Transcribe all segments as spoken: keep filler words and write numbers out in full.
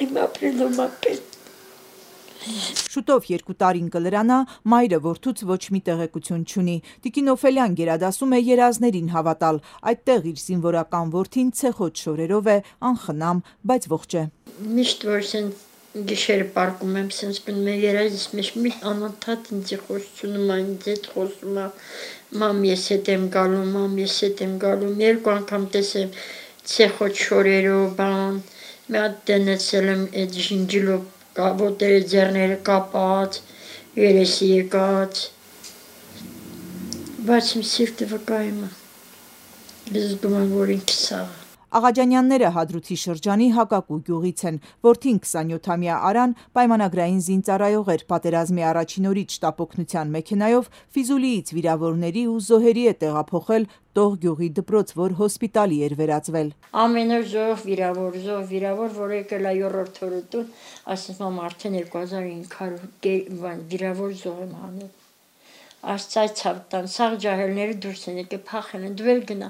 Իմ ապրելում ապել։ Շուտով երկու տարին կլրանա, մայրը որդուց ոչ մի տեղեկություն չունի։ Տիկին Օֆելյան գերադասում է երազներին հավատալ, այդտեղ իր զինվորական որդին ցեխոտ շորերով է, անխնամ, բայց ողջ է։ Միշտ որ սենց գիշերը պարկում եմ, սենց բնում եմ երազիս մեջ մի անընդհատ ինձ խոսում է, ինձ հետ խոսում է, մամ ես հետ եմ գալու, մամ ես հետ եմ գալու, երկու անգամ տեսեմ ցեխոտ շորերով, բան, մի հատ դնեցել եմ այդ ժինջիլով ոտերը ձեռները կապած, երեսի եկած, բայց իմ սիրտը վկայում է, զգում եմ, որ ինքս սաղ։ Աղաջանյանները Հադրութի շրջանի Հակակու գյուղից են, որդին քսանյոթամյա Արան պայմանագրային զինծառայող էր, պատերազմի առաջին օրից շտապօգնության մեքենայով Ֆիզուլիից վիրավորների ու զոհերի է տեղափոխել Տող գյուղի դպրոց, որ հոսպիտալի էր վերածվել։ Ամեն օր զոհ վիրավոր, զոհ վիրավոր, որ եկել է երրորդ օրը տուն, ասես մամ արդեն երկու հազար հինգ հարյուր վիրավոր զոհ եմ հանել։ Աստծայ ցավ տան, սաղ ջահելները դուրս են եկել, փախել են, դու էլ գնա,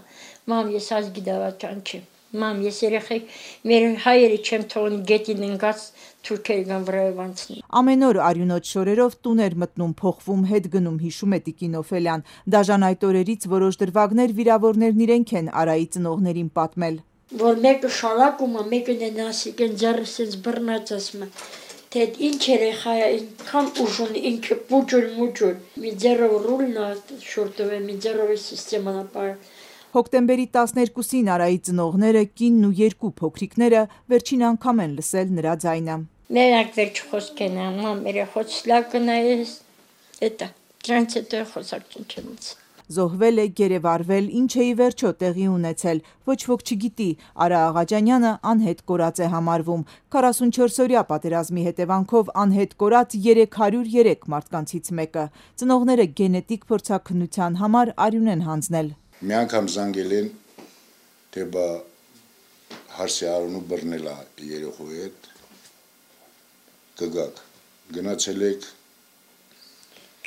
մամ ես ազգի դավաճան չեմ, մամ ես երեխեք, մեր հայերը չեմ թողնի գետին ընկած թուրքերի գան վրայով անցնի։ Ամեն օր արյունոտ շորերով տուն էր մտնում, փոխվում, հետ գնում, հիշում է տիկին Օֆելյան։ Դաժան այդ օրերից որոշ դրվագներ վիրավորներն իրենք են Արայի ծնողներին պատմել։ Որ մեկը շալակում է, մեկը նենասիկ են ձեռը սենց բռնած ասում է, թե ինչ երեխա է, ինքան ուժ ունի, ինքը պուջուր մուջուր, մի ձեռով ռուլն է շորտով է, մի ձեռով է սիստեման ապար։ Հոկտեմբերի տասներկուսին Արայի ծնողները, կինն ու երկու փոքրիկները վերջին անգամ են լսել նրա ձայնը։ Մենակ վերջ խոսք են, մամ, երեխոց լավ կնայես, էտա, դրանց հետո խոսակցություն չեմ լսել։ Զոհվել է, գերեվարվել, ինչ է ի վերջո տեղի ունեցել, ոչ ոք չգիտի։ Արա Աղաջանյանը անհետ կորած է համարվում։ քառասունչորսօրյա պատերազմի հետևանքով անհետ կորած երեք հարյուր երեք մարդկանցից մեկը։ Ծնողները գենետիկ փորձաքննության համար արյուն են հանձնել։ Մի անգամ զանգել են, թե բա հարսի արունու բռնել է երեխայի հետ, կգաք, գնացել եք,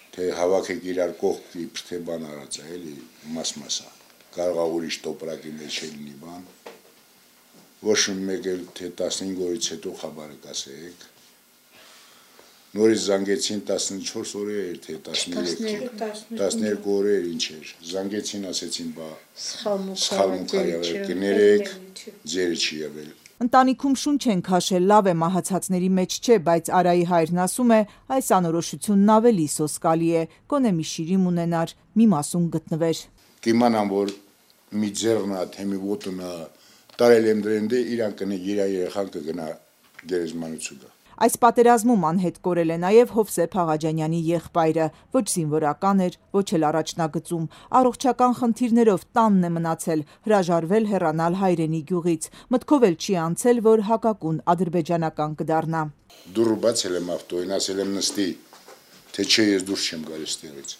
թե հավաքեք իրար կողք իբր թե բան արած է, էլի մաս-մասա, կարող է ուրիշ տոպրակի մեջ լինի բան, ոչ մեկ էլ թե տասնհինգ օրից հետո խաբարը կասեք, նորից զանգեցին տասնչորս օրեր, թե տասներկու օրեր ինչ էր, զանգեցին ասեցին բա սխալմունքա եղել, կներեք, ձերը չի եղել։ Ընտանիքում շունչ են քաշել, լավ է մահացածների մեջ չէ, բայց Արայի հայրն ասում է, այս անորոշությունն ավելի սոսկալի է, գոնե մի շիրիմ ունենար, մի մասում գտնվեր։ Կիմանամ, որ մի ձեռն է, թե մի ոտն է, տարել եմ դրեմ դե իրան կնի, իր երեխան կգնա գերեզմանություն։ Այս պատերազմում անհետ կորել է նաև Հովսեփ Աղաջանյանի եղբայրը, ոչ զինվորական էր, ոչ էլ առաջնագծում, առողջական խնդիրներով տանն է մնացել, հրաժարվել հեռանալ հայրենի գյուղից, մտքով էլ չի անցել, որ Հակակուն ադրբեջանական կդառնա։ Դուռը բացել եմ ավտոյին, ասել եմ նստի, թե չէ ես դուրս չեմ գալիս տեղից։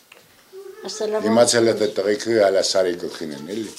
Իմացել է թե տղեկը հալա սարի գլխին են, էլի։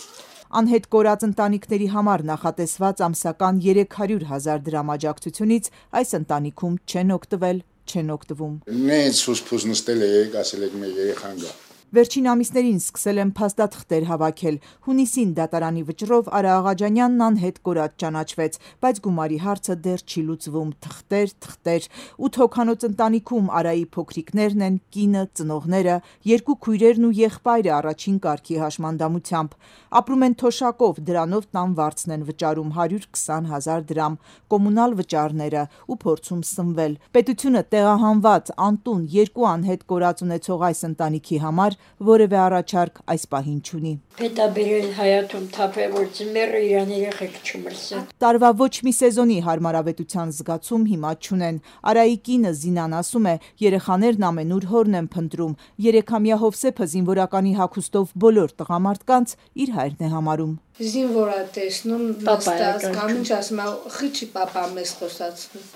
Անհետ կորած ընտանիքների համար նախատեսված ամսական երեք հարյուր հազար դրամ աջակցությունից այս ընտանիքում չեն օգտվել, չեն օգտվում։ Նենց սուսփուս նստել եք, ասել եք մեր երեխան գա։ Վերջին ամիսներին սկսել են փաստաթղթեր հավաքել։ Հունիսին դատարանի վճռով Արա Աղաջանյանն անհետ կորած ճանաչվեց, բայց գումարի հարցը դեռ չի լուծվում։ Թղթեր, թղթեր։ Ութ հոգանոց ընտանիքում Արայի փոքրիկներն են, կինը, ծնողները, երկու քույրերն ու եղբայրը առաջին կարգի հաշմանդամությամբ։ Ապրում են թոշակով, դրանով տան վարձն են վճարում հարյուր քսան հազար դրամ, կոմունալ վճարները ու փորձում սնվել։ Պետությունը տեղահանված, անտուն, երկու անհետ կորած ունեցող այս ընտանիքի համար որևէ առաջարկ այս պահին չունի։ Պետք է բերել հայաթում թափել, որ ծմերը իրան երեխեք չմրսեն։ Տարվա ոչ մի սեզոնի հարմարավետության զգացում հիմա չունեն։ Արայի կինը Զինան ասում է, երեխաներն ամենուր հորն են փնտրում։ Երեքամյա Հովսեփը զինվորականի հագուստով բոլոր տղամարդկանց իր հայրն է համարում։ Զինվորա տեսնում, նստած, կամ ինչ ասում, խիչի պապա մեզ խոսացնում։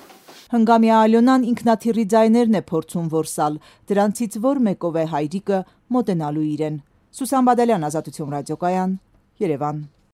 Հնգամյա Ալյոնան ինքնաթիռի ձայներն է փորձում որսալ, դրանցից որ մեկով է հայրիկը մոտենալու իրեն։ Սուսան Բադալյան, Ազատություն ռադիոկայան, Երևան։